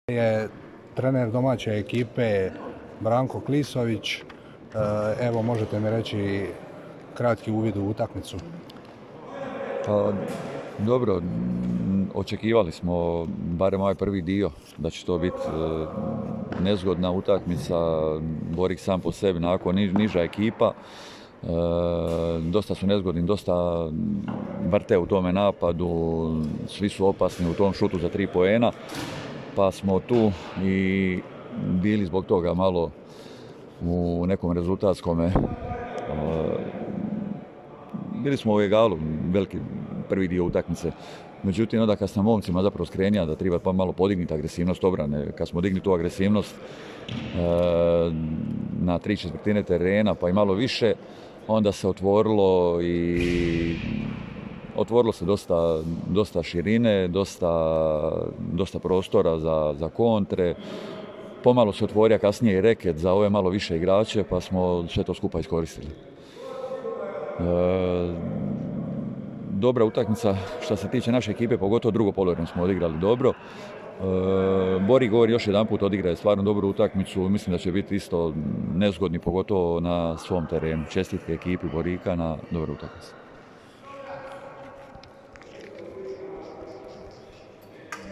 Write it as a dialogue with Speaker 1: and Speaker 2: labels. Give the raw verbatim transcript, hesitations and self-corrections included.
Speaker 1: Je trener domaće ekipe Branko Klisović. Evo, možete mi reći kratki uvid u utakmicu?
Speaker 2: Pa, dobro, očekivali smo, barem ovaj prvi dio, da će to biti e, nezgodna utakmica. Borik sam po sebi, nakon niža ekipa. E, dosta su nezgodni, dosta vrte u tome napadu, svi su opasni u tom šutu za tri poena. Pa smo tu i bili zbog toga malo u nekom rezultatskome. E, bili smo u egalu, veliki prvi dio utakmice. Međutim, onda kad sam momcima zapravo skrenija da treba pa malo podignuti agresivnost obrane, kad smo digli tu agresivnost e, na tri četvrtine terena pa i malo više, onda se otvorilo i otvorilo se dosta, dosta širine, dosta, dosta prostora za, za kontre. Pomalo se otvorio kasnije i reket za ove malo više igrače, pa smo sve to skupa iskoristili. E, dobra utakmica što se tiče naše ekipe, pogotovo drugo poluvreme smo odigrali dobro. E, Bori govori još jedan put, odigra je stvarno dobru utakmicu, mislim da će biti isto nezgodni, pogotovo na svom terenu. Čestitke ekipi Borika na dobru utakmicu.